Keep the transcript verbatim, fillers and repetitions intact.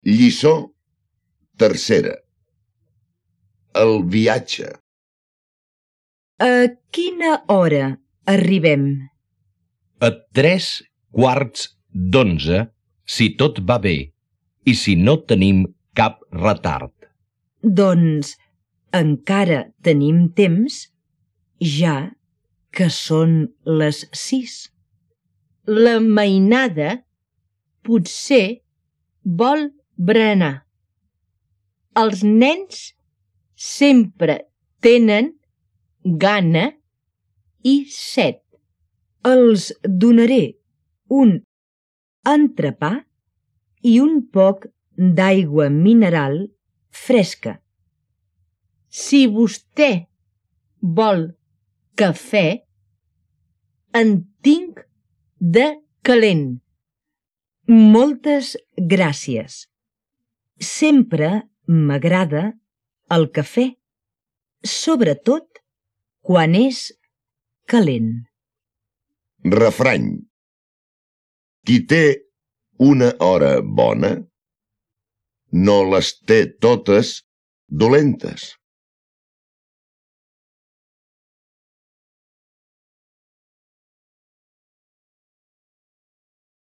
Lliçó tercera. El viatge. A quina hora arribem? A tres quarts d'onze, si tot va bé, i si no tenim cap retard. Doncs encara tenim temps, ja que són les sis. La mainada potser vol berenar. Els nens sempre tenen gana i set. Els donaré un entrepà i un poc d'aigua mineral fresca. Si vostè vol cafè, en tinc de calent. Moltes gràcies. Sempre m'agrada el cafè, sobretot quan és calent. Refrany. Qui té una hora bona, no les té totes dolentes.